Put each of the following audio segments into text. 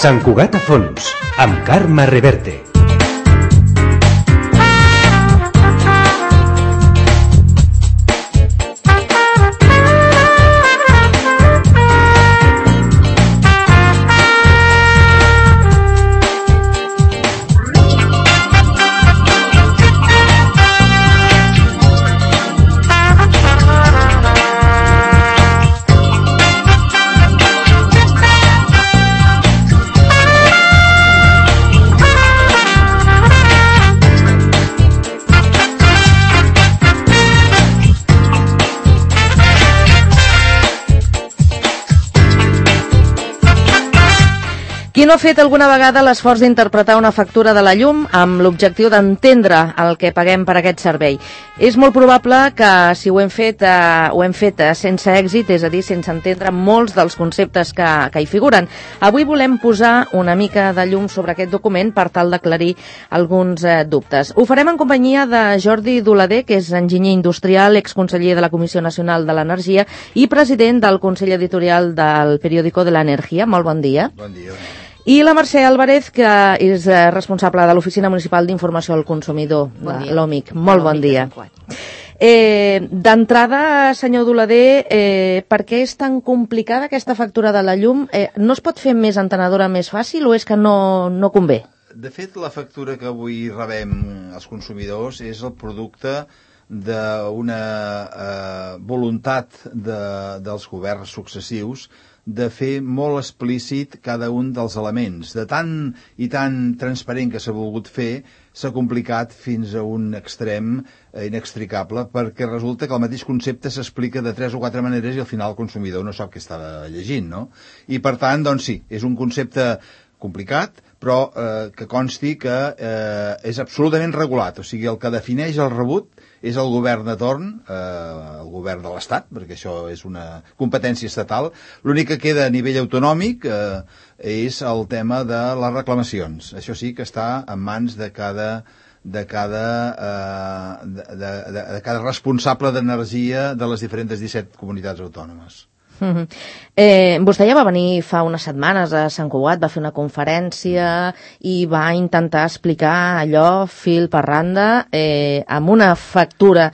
Sant Cugat a fons, amb Carme Reverte. Qui no ha fet alguna vegada l'esforç d'interpretar una factura de la llum amb l'objectiu d'entendre el que paguem per aquest servei? És molt probable que si ho hem fet sense èxit, és a dir, sense entendre molts dels conceptes que hi figuren. Avui volem posar una mica de llum sobre aquest document per tal d'aclarir alguns dubtes. Ho farem en companyia de Jordi Dolader, que és enginyer industrial, exconseller de la Comissió Nacional de l'Energia i president del Consell Editorial del Periódico de la Energia. Molt bon dia. Bon dia. I la Mercè Álvarez, que és responsable de l'Oficina Municipal d'Informació al Consumidor, de l'OMIC. Molt bon dia. D'entrada, senyor Dolader, per què és tan complicada aquesta factura de la llum? No es pot fer més entenedora, més fàcil, o és que no convé? De fet, la factura que avui rebem els consumidors és el producte d'una voluntat dels governs successius de fer molt explícit cada un dels elements. De tant i tan transparent que s'ha volgut fer, s'ha complicat fins a un extrem inextricable, perquè resulta que el mateix concepte s'explica de 3 o 4 maneres i al final el consumidor no sap què està llegint, no? I per tant, doncs sí, és un concepte complicat, però que consti que és absolutament regulat. O sigui, el que defineix el rebut és el govern de torn, el govern de l'Estat, perquè això és una competència estatal. L'únic que queda a nivell autonòmic és el tema de les reclamacions. Això sí que està en mans de cada responsable d'energia de les diferents 17 comunitats autònomes. Vostè ja va venir fa unes setmanes a Sant Cugat, va fer una conferència i va intentar explicar allò fil per randa amb una factura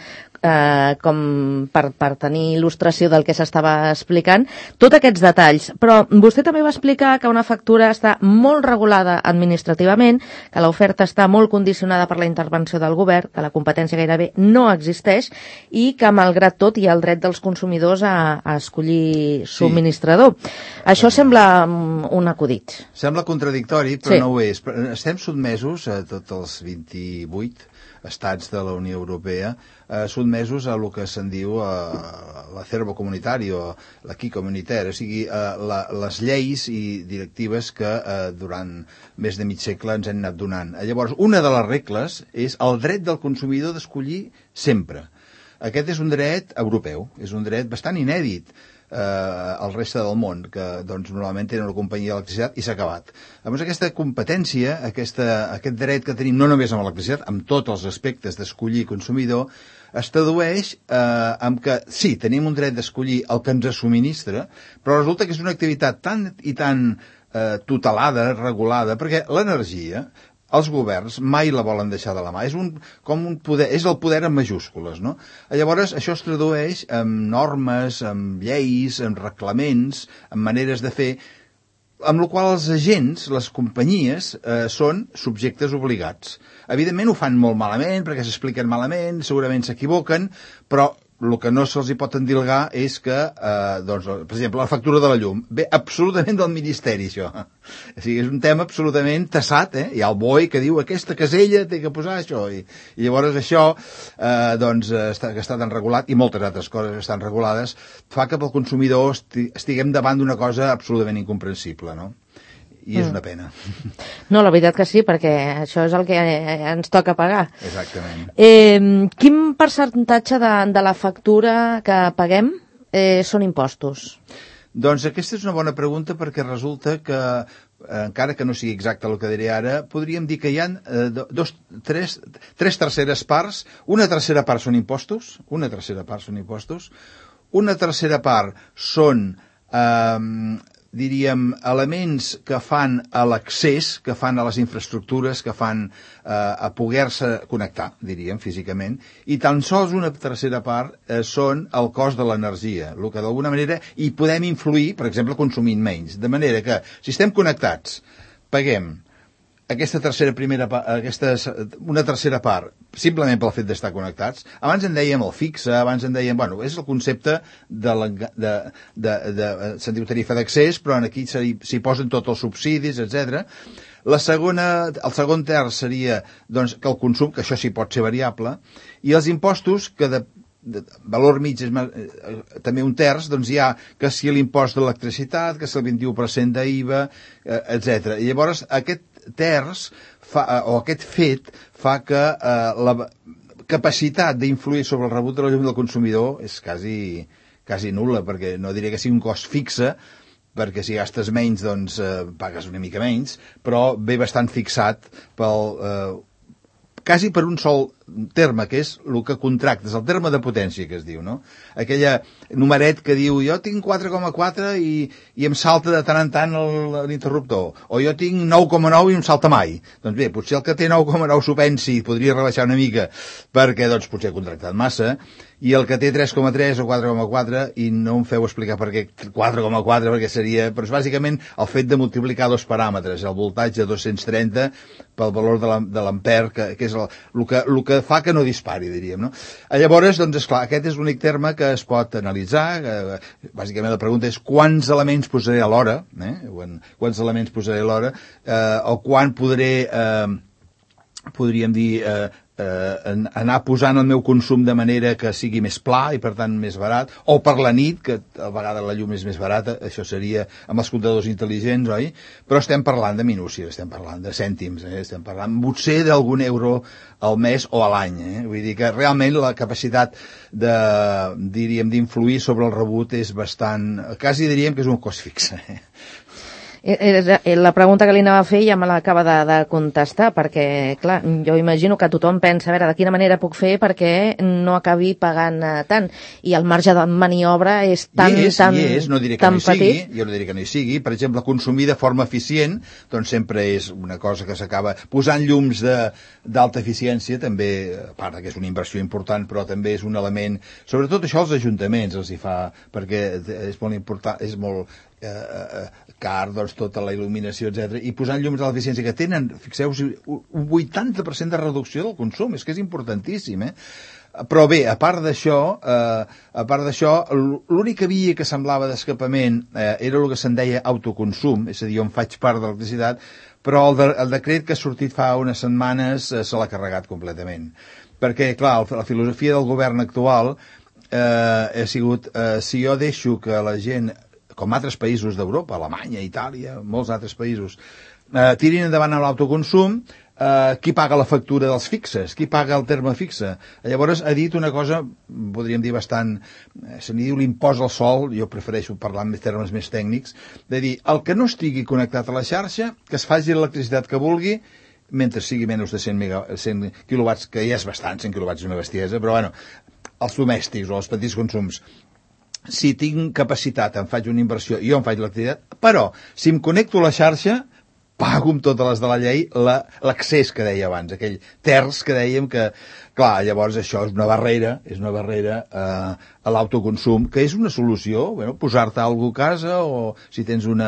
com per tenir il·lustració del que s'estava explicant, tots aquests detalls. Però vostè també va explicar que una factura està molt regulada administrativament, que l'oferta està molt condicionada per la intervenció del govern, que la competència gairebé no existeix i que, malgrat tot, hi ha el dret dels consumidors a escollir subministrador. Sí. Això sembla un acudit. Sembla contradictori, però sí. No ho és. Estem sotmesos a tots els 28 estats de la Unió Europea, sotmesos a el que se'n diu l'acervo comunitari o l'acquis communautaire, o sigui, les lleis i directives que durant més de mig segle ens han anat donant. Llavors, una de les regles és el dret del consumidor d'escollir sempre. Aquest és un dret europeu, és un dret bastant inèdit al reste del món, que doncs, normalment tenen una companyia d'electricitat i s'ha acabat. Llavors aquesta competència, aquest dret que tenim no només amb l'electricitat, amb tots els aspectes d'escollir consumidor, es tradueix en que sí, tenim un dret d'escollir el que ens subministra, però resulta que és una activitat tan i tan tutelada, regulada, perquè l'energia els governs mai la volen deixar de la mà. És el poder en majúscules, no? Llavors, això es tradueix en normes, en lleis, en reglaments, en maneres de fer, amb la qual els agents, les companyies, són subjectes obligats. Evidentment ho fan molt malament, perquè s'expliquen malament, segurament s'equivoquen, però el que no se'ls pot endilgar és que, doncs, per exemple, la factura de la llum ve absolutament del Ministeri, això. O sigui, és un tema absolutament tassat, Hi ha el BOE que diu aquesta casella té que posar això, i llavors això, doncs, que està tan regulat, i moltes altres coses que estan regulades, fa que pel consumidor estiguem davant d'una cosa absolutament incomprensible, no? I és una pena. No, la veritat que sí, perquè això és el que ens toca pagar. Exactament. Quin percentatge de la factura que paguem són impostos? Doncs aquesta és una bona pregunta, perquè resulta que, encara que no sigui exacte el que diré ara, podríem dir que hi ha tres terceres parts. Una tercera part són impostos, una tercera part són diríem, elements que fan a l'accés, que fan a les infraestructures, que fan a poder-se connectar, diríem, físicament, i tan sols una tercera part són el cost de l'energia, el que d'alguna manera hi podem influir, per exemple, consumint menys. De manera que, si estem connectats, paguem una tercera part, simplement pel fet d'estar connectats. Abans en dèiem el fixe, abans en dèiem... Bueno, és el concepte se'n diu tarifa d'accés, però aquí s'hi posen tots els subsidis, etc. El segon terç seria doncs, que el consum, que això sí pot ser variable, i els impostos, que de valor mig és també un terç, doncs hi ha que si l'impost d'electricitat, que si el 21% d'IVA, etc. I llavors aquest terç o aquest fet fa que la capacitat d'influir sobre el rebut de la llum del consumidor és quasi nul·la, perquè no diré que sigui un cost fixe, perquè si gastes menys doncs pagues una mica menys, però ve bastant fixat quasi per un sol terme, que és el que contractes, el terme de potència que es diu, no? Aquella numeret que diu jo tinc 4,4 i em salta de tant en tant l'interruptor, o jo tinc 9,9 i em salta mai. Doncs bé, potser el que té 9,9 s'ho pensi, podria rebaixar una mica, perquè doncs potser ha contractat massa, i el que té 3,3 o 4,4, i no em feu explicar per què 4,4, perquè seria, però és bàsicament el fet de multiplicar dos paràmetres, el voltatge 230 pel valor de l'ampere, que és el que fa que no dispari, diríem, no? Llavors, doncs, esclar, aquest és l'únic terme que es pot analitzar. Bàsicament la pregunta és quants elements posaré a l'hora, quants elements posaré a l'hora, o quan podré, podríem dir, anar posant el meu consum de manera que sigui més pla i per tant més barat, o per la nit, que a vegades la llum és més barata, això seria amb els comptadors intel·ligents, oi? Però estem parlant de minúcies, estem parlant de cèntims, estem parlant potser d'algun euro al mes o a l'any, Vull dir que realment la capacitat diríem, d'influir sobre el rebut és bastant, quasi diríem que és un cost fixe, La pregunta que li anava a fer ja me l'acaba de contestar, perquè, clar, jo imagino que tothom pensa, a veure, de quina manera puc fer perquè no acabi pagant tant, i el marge de maniobra és tan no diré que no hi petit. Sigui, jo no diré que no hi sigui. Per exemple, consumir de forma eficient, doncs sempre és una cosa que s'acaba posant llums d'alta eficiència, també, a part que és una inversió important, però també és un element, sobretot això als ajuntaments els hi fa, perquè és molt important, és molt car, doncs, tota la il·luminació, etc. I posant llums de l'eficiència que tenen, fixeu-vos, un 80% de reducció del consum, és que és importantíssim, Però bé, a part d'això, l'única via que semblava d'escapament era el que se'n deia autoconsum, és a dir, on faig part de l'electricitat, però el decret que ha sortit fa unes setmanes se l'ha carregat completament. Perquè, clar, la filosofia del govern actual ha sigut, si jo deixo que la gent, com altres països d'Europa, Alemanya, Itàlia, molts altres països, tirin endavant amb l'autoconsum, qui paga la factura dels fixes? Qui paga el terme fixe? Llavors ha dit una cosa, podríem dir bastant, se n'hi diu l'impost al sol, jo prefereixo parlar en termes més tècnics, de dir, el que no estigui connectat a la xarxa, que es faci l'electricitat que vulgui, mentre sigui menys de 100 quilowatts, que ja és bastant, 100 quilowatts és una bestiesa, però bueno, els domèstics o els petits consums, si tinc capacitat, em faig una inversió i jo em faig l'activitat, però si em connecto a la xarxa, pago amb totes les de la llei l'accés que deia abans, aquell terç que dèiem que, clar, llavors això és una barrera a l'autoconsum, que és una solució, posar-te alguna cosa a casa, o si tens un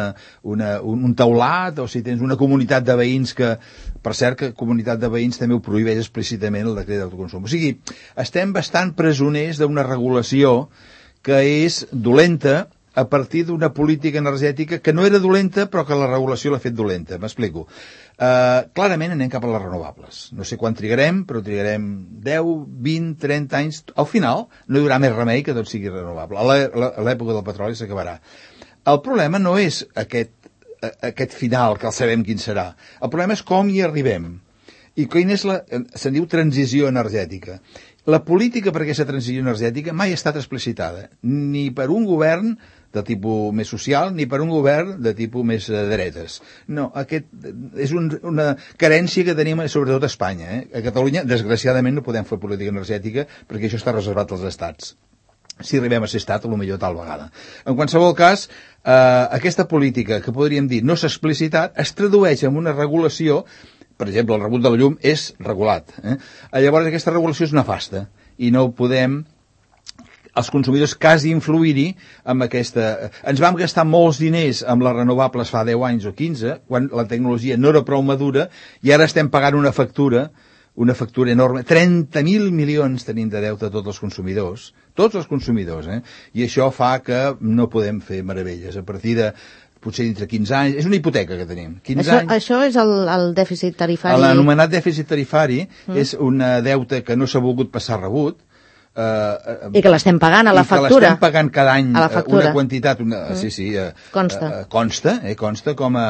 teulat, o si tens una comunitat de veïns que, per cert, que comunitat de veïns també ho prohibeix explícitament el decret d'autoconsum. O sigui, estem bastant presoners d'una regulació que és dolenta a partir d'una política energètica que no era dolenta però que la regulació l'ha fet dolenta. M'explico. Clarament anem cap a les renovables. No sé quan trigarem, però trigarem 10, 20, 30 anys. Al final no hi haurà més remei que tot sigui renovable. A l'època del petroli s'acabarà. El problema no és aquest final, que el sabem quin serà. El problema és com hi arribem. I quina és se'n diu transició energètica. La política per aquesta transició energètica mai ha estat explicitada, ni per un govern de tipus més social, ni per un govern de tipus més de dretes. No, aquest és una carència que tenim sobretot a Espanya. A Catalunya, desgraciadament, no podem fer política energètica perquè això està reservat als estats. si arribem a ser estat, potser tal vegada. En qualsevol cas, aquesta política, que podríem dir no s'ha explicitat, es tradueix en una regulació. Per exemple, el rebut de la llum és regulat. Llavors, aquesta regulació és nefasta i no podem els consumidors quasi influir-hi amb aquesta... Ens vam gastar molts diners amb les renovables fa 10 anys o 15, quan la tecnologia no era prou madura, i ara estem pagant una factura enorme. 30.000 milions tenim de deute a tots els consumidors, i això fa que no podem fer meravelles. A partir de potser dintre 15 anys, és una hipoteca que tenim. Això és el dèficit tarifari? L'anomenat dèficit tarifari és un deute que no s'ha volgut passar rebut, i que l'estem pagant a la factura. I que l'estem pagant cada any una quantitat. Consta com a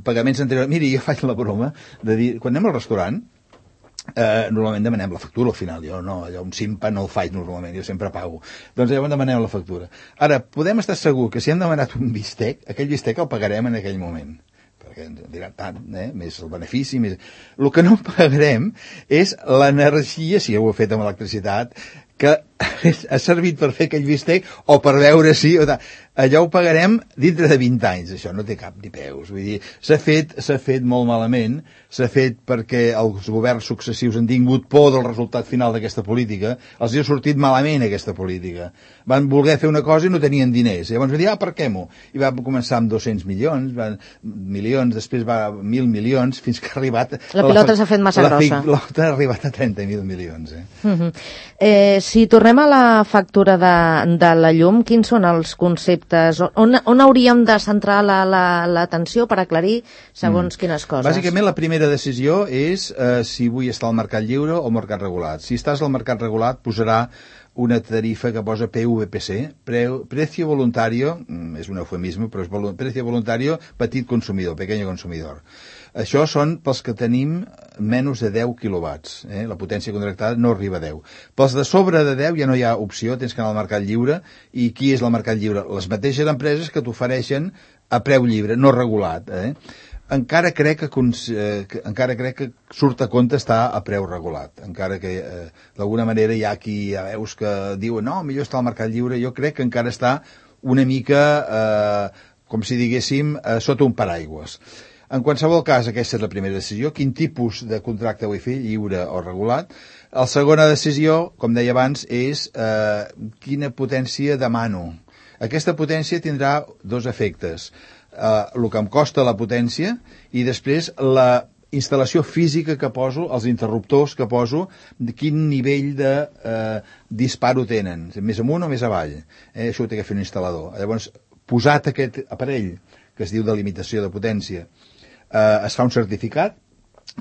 pagaments anteriors. Miri, jo faig la broma de dir, quan anem al restaurant, normalment demanem la factura al final. Jo no, allò un simpa no el faig normalment, jo sempre pago. Doncs llavors demanem la factura. Ara, podem estar segur que si hem demanat un bistec, aquell bistec el pagarem en aquell moment. Perquè ens diran tant, més el benefici, més... El que no pagarem és l'energia, si ho he fet amb electricitat, que ha servit per fer aquell bistec o per veure si... Allò ho pagarem dintre de 20 anys, això no té cap ni peus. Vull dir, s'ha fet molt malament, s'ha fet perquè els governs successius han tingut por del resultat final d'aquesta política, els ha sortit malament aquesta política. Van voler fer una cosa i no tenien diners. Llavors van dir, aparquem-ho. I va començar amb 200 milions, després va 1.000 milions, fins que ha arribat... La pilota s'ha fet massa grossa. La pilota ha arribat a 30.000 milions. Si tornem a la factura de la llum, quins són els conceptes? On hauríem de centrar l'atenció per aclarir segons quines coses? Bàsicament, la primera decisió és si vull estar al mercat lliure o al mercat regulat. Si estàs al mercat regulat, posarà una tarifa que posa PVPC, Precio Voluntario, és un eufemisme, però és Precio Voluntario Petit Consumidor, Pequeño Consumidor. Això són pels que tenim menys de 10 quilowatts. La potència contractada no arriba a 10. Pels de sobre de 10 ja no hi ha opció, tens que anar al mercat lliure. I qui és el mercat lliure? Les mateixes empreses que t'ofereixen a preu lliure, no regulat. Encara crec que surt a compte estar a preu regulat. Encara que d'alguna manera hi ha qui ja veus que diuen no, millor està al mercat lliure. Jo crec que encara està una mica, com si diguéssim, sota un paraigües. En qualsevol cas, aquesta és la primera decisió. Quin tipus de contracte vull fer, lliure o regulat? La segona decisió, com deia abans, és quina potència demano. Aquesta potència tindrà dos efectes. El que em costa la potència i després la instal·lació física que poso, els interruptors que poso, quin nivell de disparo tenen, més amunt o més avall. Això ho té que fer un instal·lador. Llavors, posat aquest aparell, que es diu de limitació de potència, es fa un certificat,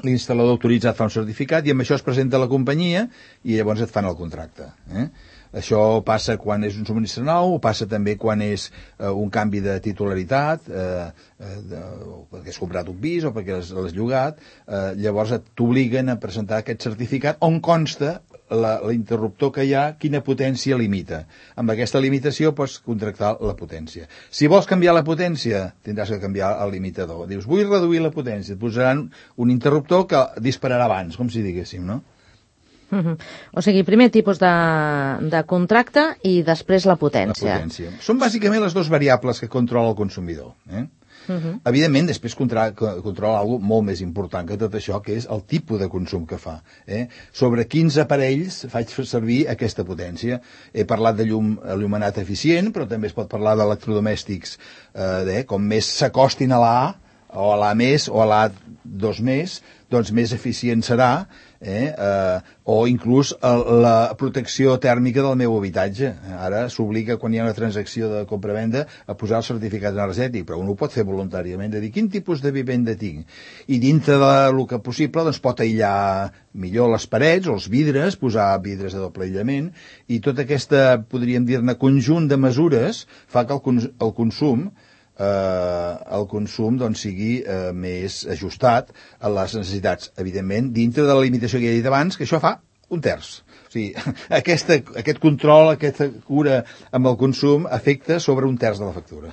l'instal·lador autoritzat fa un certificat i amb això es presenta a la companyia i llavors et fan el contracte. Això passa quan és un subministre nou, passa també quan és un canvi de titularitat, perquè has comprat un pis o perquè l'has llogat, llavors t'obliguen a presentar aquest certificat on consta l'interruptor que hi ha, quina potència limita. Amb aquesta limitació pots contractar la potència. Si vols canviar la potència, tindràs que canviar el limitador. Dius, vull reduir la potència. Et posaran un interruptor que dispararà abans, com si diguéssim, no? O sigui, primer tipus de contracte i després la potència. La potència. Són bàsicament les dues variables que controla el consumidor. Evidentment, després controla alguna molt més important que tot això, que és el tipus de consum que fa. Sobre quins aparells faig servir aquesta potència. He parlat de llum il·luminat eficient, però també es pot parlar d'electrodomèstics com més s'acostin a l'A, o a l'A més, o a l'A2 més, doncs més eficient serà, o inclús la protecció tèrmica del meu habitatge. Ara s'obliga, quan hi ha una transacció de compra-venda, a posar el certificat energètic, però un ho pot fer voluntàriament, de dir quin tipus de vivenda tinc. I dintre del que possible doncs, pot aïllar millor les parets o els vidres, posar vidres de doble aïllament, i tot aquesta, podríem dir-ne, conjunt de mesures fa que el consum doncs, sigui més ajustat a les necessitats, evidentment, dintre de la limitació que he dit abans, que això fa un terç. O sigui, aquest control, aquesta cura amb el consum afecta sobre un terç de la factura.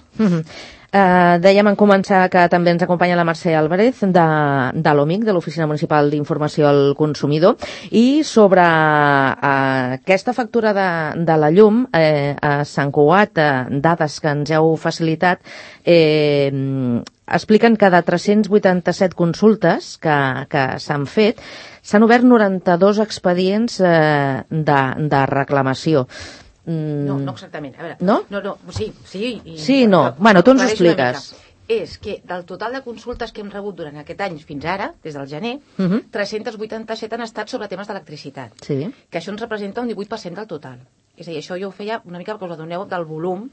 Dèiem en començar que també ens acompanya la Mercè Álvarez de l'OMIC, de l'Oficina Municipal d'Informació al Consumidor, i sobre aquesta factura de la llum a Sant Cugat, dades que ens heu facilitat, expliquen que de 387 consultes que s'han fet, s'han obert 92 expedients de reclamació. No exactament. A veure, no? No, sí. Sí, no. Bueno, tu ens ho expliques. És que del total de consultes que hem rebut durant aquest any fins ara, des del gener, 387 han estat sobre temes d'electricitat. Sí. Que això ens representa un 18% del total. És a dir, això jo ho feia una mica perquè us adoneu del volum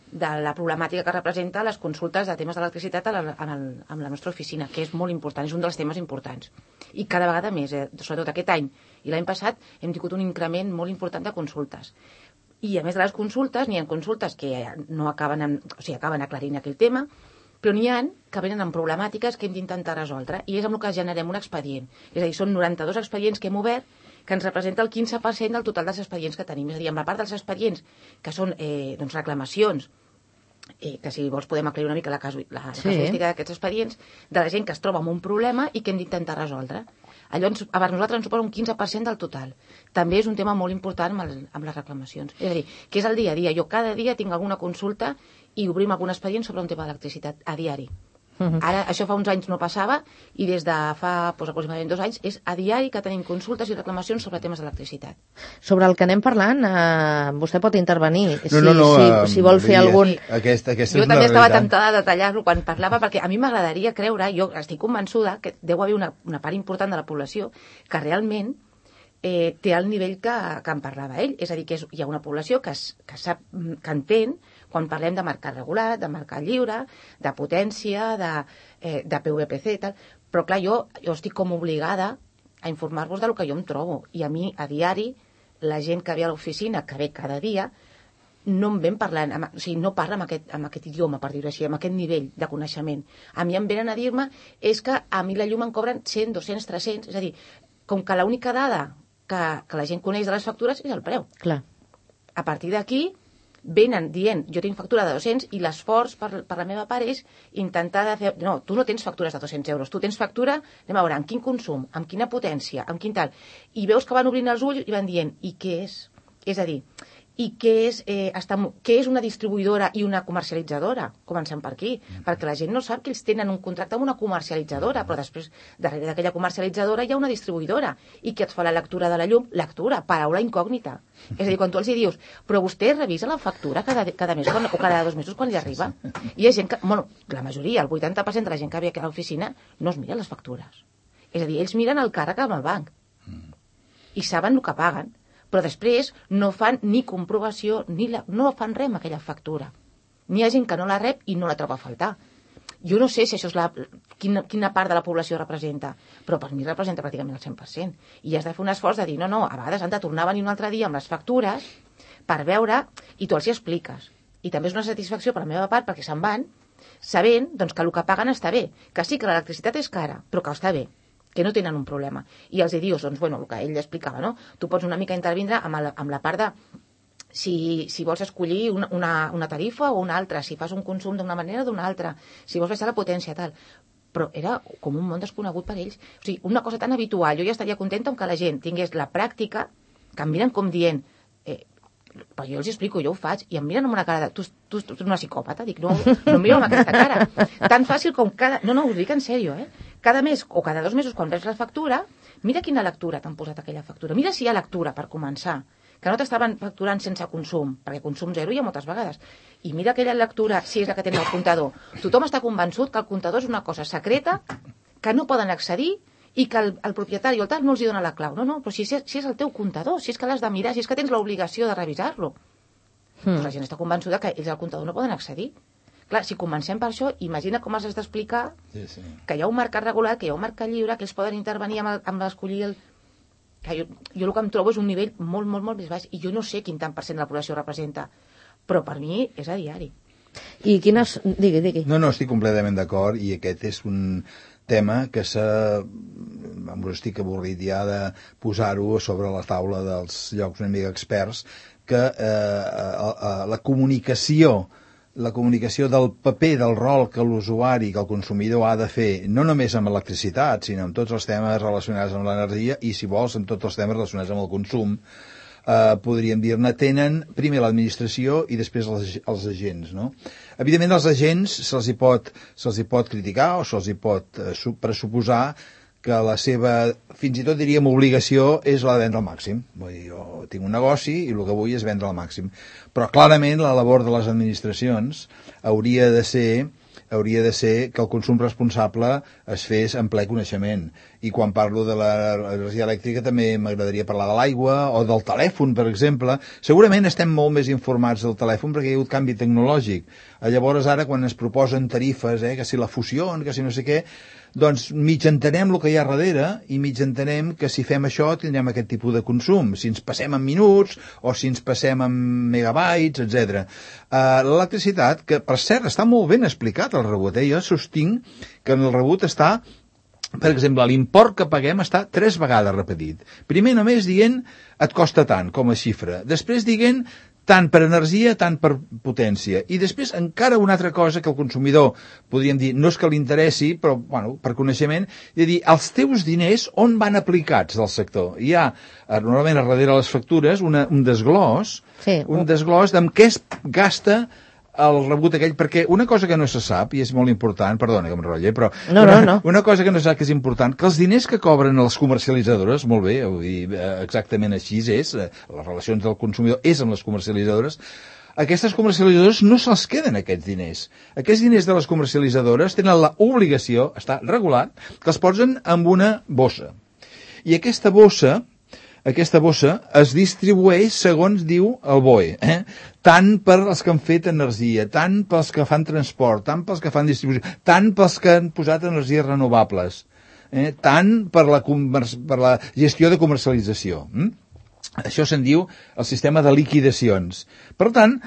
de la problemàtica que representa les consultes de temes d'electricitat amb la nostra oficina, que és molt important, és un dels temes importants. I cada vegada més, sobretot aquest any i l'any passat, hem tingut un increment molt important de consultes. I a més de les consultes, n'hi ha consultes que no acaben aclarint aquell tema, però n'hi ha que venen amb problemàtiques que hem d'intentar resoldre, i és amb el que generem un expedient. És a dir, són 92 expedients que hem obert, que ens representa el 15% del total dels expedients que tenim. És a dir, amb la part dels expedients, que són reclamacions, que si vols podem aclarir una mica la casuística d'aquests expedients, de la gent que es troba amb un problema i que hem d'intentar resoldre. Allò per nosaltres ens suposa un 15% del total. També és un tema molt important amb les reclamacions. És a dir, que és el dia a dia. Jo cada dia tinc alguna consulta i obrim algun expedient sobre un tema d'electricitat a diari. Ara, això fa uns anys no passava, i des de fa aproximadament 2 anys és a diari que tenim consultes i reclamacions sobre temes d'electricitat. Sobre el que anem parlant, vostè pot intervenir si vol fer algun... Jo també estava tentada de detallar-lo quan parlava, perquè a mi m'agradaria creure, jo estic convençuda que deu haver una part important de la població que realment té el nivell que en parlava ell. És a dir, que hi ha una població que sap, que entén quan parlem de mercat regulat, de mercat lliure, de potència, de PVPC i tal. Però clar, jo estic com obligada a informar-vos del que jo em trobo. I a mi, a diari, la gent que ve a l'oficina, que ve cada dia, no em ven parlant, o sigui, no parla amb aquest idioma, per dir-ho així, amb aquest nivell de coneixement. A mi em venen a dir-me és que a mi la llum em cobren 100, 200, 300, és a dir, com que l'única dada que la gent coneix de les factures és el preu. Clar. A partir d'aquí venen dient, jo tinc factura de 200 i l'esforç per la meva part és intentar de fer... No, tu no tens factures de 200 euros, tu tens factura, anem a veure, amb quin consum, amb quina potència, amb quin tal. I veus que van obrint els ulls i van dient, i què és? És a dir, i què és una distribuïdora i una comercialitzadora? Comencem per aquí, perquè la gent no sap que ells tenen un contracte amb una comercialitzadora, però després, darrere d'aquella comercialitzadora hi ha una distribuïdora, i que et fa la lectura de la llum, lectura, paraula incògnita. És a dir, quan tu els dius, però vostè revisa la factura cada mes o cada 2 mesos quan li arriba? I hi ha gent que, bueno, la majoria, el 80% de la gent que ve a l'oficina no es mira les factures. És a dir, ells miren el càrrec amb el banc i saben el que paguen, però després no fan ni comprovació, no fan res amb aquella factura. N'hi ha gent que no la rep i no la troba a faltar. Jo no sé si això és quina part de la població representa, però per mi representa pràcticament el 100%. I has de fer un esforç de dir, no, a vegades han de tornar a venir un altre dia amb les factures per veure, i tu els hi expliques. I també és una satisfacció per la meva part, perquè se'n van sabent doncs, que el que paguen està bé, que sí que l'electricitat és cara, però que està bé, que no tenen un problema. I els dius, doncs, bueno, el que ell explicava, no? Tu pots una mica intervindre amb la part de si vols escollir una tarifa o una altra, si fas un consum d'una manera o d'una altra, si vols baixar la potència, tal. Però era com un món desconegut per ells. O sigui, una cosa tan habitual. Jo ja estaria contenta amb que la gent tingués la pràctica, que em miren com dient, però jo els explico, jo ho faig, i em miren amb una cara de... Tu ets una psicòpata? Dic, no em miro amb aquesta cara. Tan fàcil com cada... No, us dic en sèrio, Cada mes o cada 2 mesos, quan veus la factura, mira quina lectura t'han posat aquella factura. Mira si hi ha lectura, per començar, que no t'estaven facturant sense consum, perquè consum zero hi ha moltes vegades. I mira aquella lectura, si és la que tens al comptador. Tothom està convençut que el comptador és una cosa secreta, que no poden accedir, i que el propietari o el tal no els hi dona la clau. No, però si és el teu comptador, si és que l'has de mirar, si és que tens l'obligació de revisar-lo. Pues la gent està convençuda que ells al comptador no poden accedir. Clar, si comencem per això, imagina com els has d'explicar que hi ha un mercat regulat, que hi ha un mercat lliure, que ells poden intervenir amb l'escollir el... Jo el que em trobo és un nivell molt, molt, molt més baix, i jo no sé quin tant % de la població representa, però per mi és a diari. I quines... Digui. No, estic completament d'acord, i aquest és un tema que estic avorrit ja de posar-ho sobre la taula dels llocs una mica experts, que la comunicació la comunicació del paper, del rol que l'usuari, que el consumidor ha de fer, no només amb electricitat, sinó amb tots els temes relacionats amb l'energia i, si vols, amb tots els temes relacionats amb el consum, podríem dir-ne, tenen primer l'administració i després els agents, no? Evidentment, als agents se'ls hi pot criticar o se'ls hi pot pressuposar que la seva, fins i tot diríem, obligació és la de vendre al màxim. Vull dir, jo tinc un negoci i el que vull és vendre al màxim. Però clarament la labor de les administracions hauria de ser que el consum responsable es fes en ple coneixement. I quan parlo de l'energia elèctrica també m'agradaria parlar de l'aigua o del telèfon, per exemple. Segurament estem molt més informats del telèfon perquè hi ha hagut canvi tecnològic. Llavors ara quan es proposen tarifes, que si la fusió, que si no sé què, doncs mig entenem el que hi ha darrere i mig entenem que si fem això tindrem aquest tipus de consum, si ens passem en minuts o si ens passem en megabytes, etc. L'electricitat, que per cert està molt ben explicat el rebut, jo sostinc que en el rebut està, per exemple, l'import que paguem està 3 vegades repetit. Primer només dient et costa tant com a xifra, després dient tant per energia, tant per potència. I després encara una altra cosa que el consumidor, podríem dir, no és que li interessi, però bueno, per coneixement, de dir, els teus diners on van aplicats del sector? Hi ha, normalment, a darrere les factures, un desglòs, un desglòs d'en què es gasta el rebut aquell, perquè una cosa que no se sap, i és molt important, perdona que m'enrotlle, però una cosa que no se sap que és important, que els diners que cobren les comercialitzadores, molt bé, vull dir, exactament així és, les relacions del consumidor és amb les comercialitzadores, aquestes comercialitzadores no se'ls queden aquests diners. Aquests diners de les comercialitzadores tenen l'obligació, està regulat, que els posen en una bossa. I aquesta bossa es distribueix segons diu el BOE, tant per als que han fet energia, tant pels que fan transport, tant pels que fan distribució, tant pels que han posat energies renovables, tant per la gestió de comercialització. Això se'n diu el sistema de liquidacions. Per tant,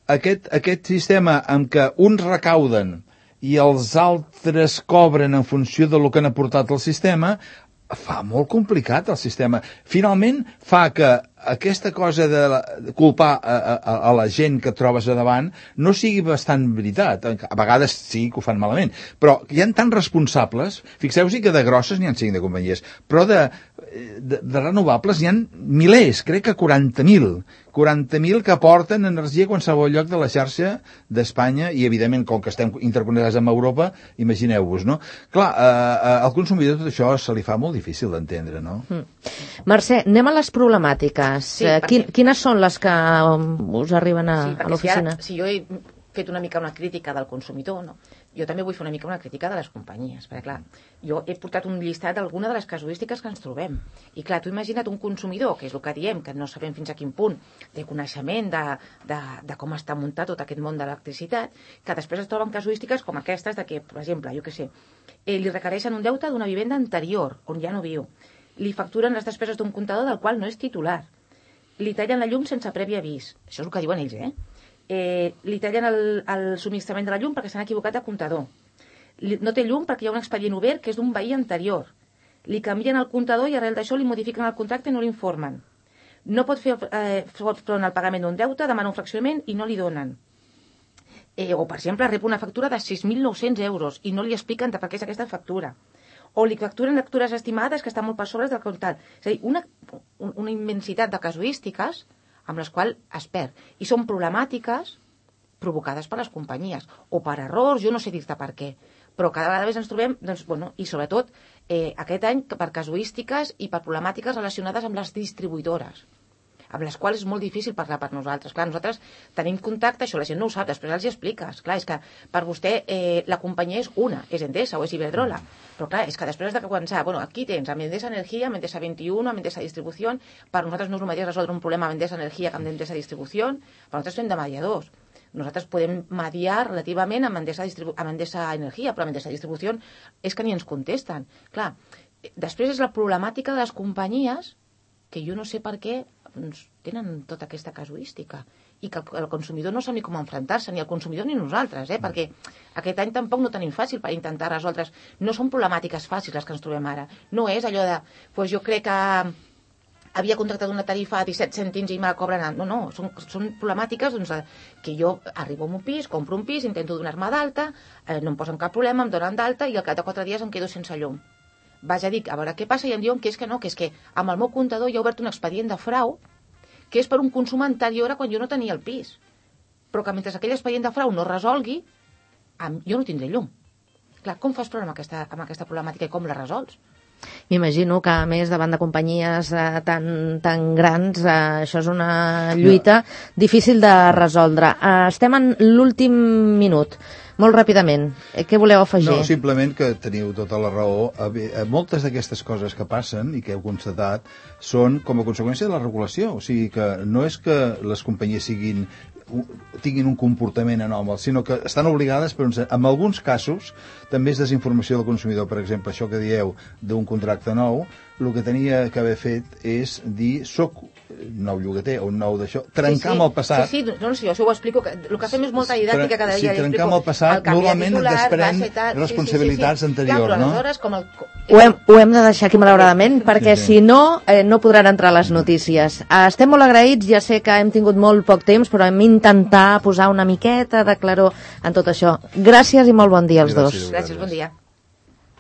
aquest sistema en què uns recauden i els altres cobren en funció del que han aportat al sistema, fa molt complicat el sistema. Finalment fa que aquesta cosa de culpar a la gent que et trobes a davant no sigui bastant veritat. A vegades sí que ho fan malament, però hi ha tants responsables, fixeu-vos que de grosses n'hi ha 5 de companyies, però de renovables n'hi ha milers, crec que 40.000 que aporten energia a qualsevol lloc de la xarxa d'Espanya i, evidentment, com que estem interconnectats amb Europa, imagineu-vos, no? Clar, al consumidor tot això se li fa molt difícil d'entendre, no? Mercè, anem a les problemàtiques. Sí, quines són les que us arriben a l'oficina? Si jo he fet una mica una crítica del consumidor, no? Jo també vull fer una mica una crítica de les companyies, perquè clar, jo he portat un llistat d'alguna de les casuístiques que ens trobem. I clar, tu imagina't un consumidor, que és el que diem, que no sabem fins a quin punt té coneixement de com està muntat tot aquest món de l'electricitat, que després es troben casuístiques com aquestes de que, per exemple, jo què sé, li requereixen un deute d'una vivenda anterior, on ja no viu. Li facturen les despeses d'un comptador del qual no és titular. Li tallen la llum sense previ avís. Això és el que diuen ells, li tallen el subministrament de la llum perquè s'han equivocat de comptador. No té llum perquè hi ha un expedient obert que és d'un veí anterior. Li canvien el comptador i arrel d'això li modifiquen el contracte i no l'informen. No pot fer front al pagament d'un deute, demana un fraccionament i no li donen. O, per exemple, rep una factura de 6.900 euros i no li expliquen per què és aquesta factura. O li facturen lectures estimades que estan molt per sobre del comptat. És a dir, una immensitat de casuístiques amb les quals es perd. I són problemàtiques provocades per les companyies, o per errors, jo no sé dir-te per què, però cada vegada més ens trobem, doncs, bueno, i sobretot aquest any per casuístiques i per problemàtiques relacionades amb les distribuïdores, amb les quals és molt difícil parlar per nosaltres. Clar, nosaltres tenim contacte, això la gent no ho sap, després els hi expliques. Clar, és que per vostè la companyia és una, és Endesa o és Iberdrola, però clar, és que després de començar, bueno, aquí tens amb Endesa Energia, amb Endesa 21, amb Endesa Distribució, per nosaltres no és el mateix resoldre un problema amb Endesa Energia que amb Endesa Distribució, però nosaltres fem de mediadors. Nosaltres podem mediar relativament amb Endesa Energia, però amb Endesa Distribució és que ni ens contesten. Clar, després és la problemàtica de les companyies, que jo no sé per què tenen tota aquesta casuística i que el consumidor no sap ni com enfrontar-se, ni el consumidor ni nosaltres, perquè aquest any tampoc no tenim fàcil per intentar resoldre's. No són problemàtiques fàcils les que ens trobem ara. No és allò de, jo crec que havia contractat una tarifa a 17 cèntims i me la cobren... No, són problemàtiques doncs, que jo arribo a un pis, compro un pis, intento donar-me d'alta, no em posen cap problema, em donen d'alta i al cap de 4 dies em quedo sense llum. Vaig a dir, a veure què passa, i em diuen que és que amb el meu comptador hi ha obert un expedient de frau que és per un consum anterior a quan jo no tenia el pis. Però que mentre aquell expedient de frau no es resolgui, jo no tindré llum. Clar, com fas problema amb aquesta problemàtica i com la resols? M'imagino que, a més, davant de companyies tan grans, això és una lluita difícil de resoldre. Estem en l'últim minut. Molt ràpidament, què voleu afegir? No, simplement que teniu tota la raó. Moltes d'aquestes coses que passen i que heu constatat són com a conseqüència de la regulació. O sigui que no és que les companyies tinguin un comportament anòmal, sinó que estan obligades, però en alguns casos també és desinformació del consumidor. Per exemple, això que dieu d'un contracte nou, el que tenia que haver fet és dir soc nou llogater o un nou d'això, trencar amb el passat. Sí, no, jo això ho explico, el que fem és molta didàctica cada dia. Si trencar amb el passat, normalment es desprèn responsabilitats anteriors, clar, però no? aleshores, com el... Ho hem de deixar aquí, malauradament, perquè si no, no podran entrar a les notícies. Estem molt agraïts, ja sé que hem tingut molt poc temps, però hem d'intentar posar una miqueta de claror en tot això. Gràcies i molt bon dia als dos. Gràcies, bon dia.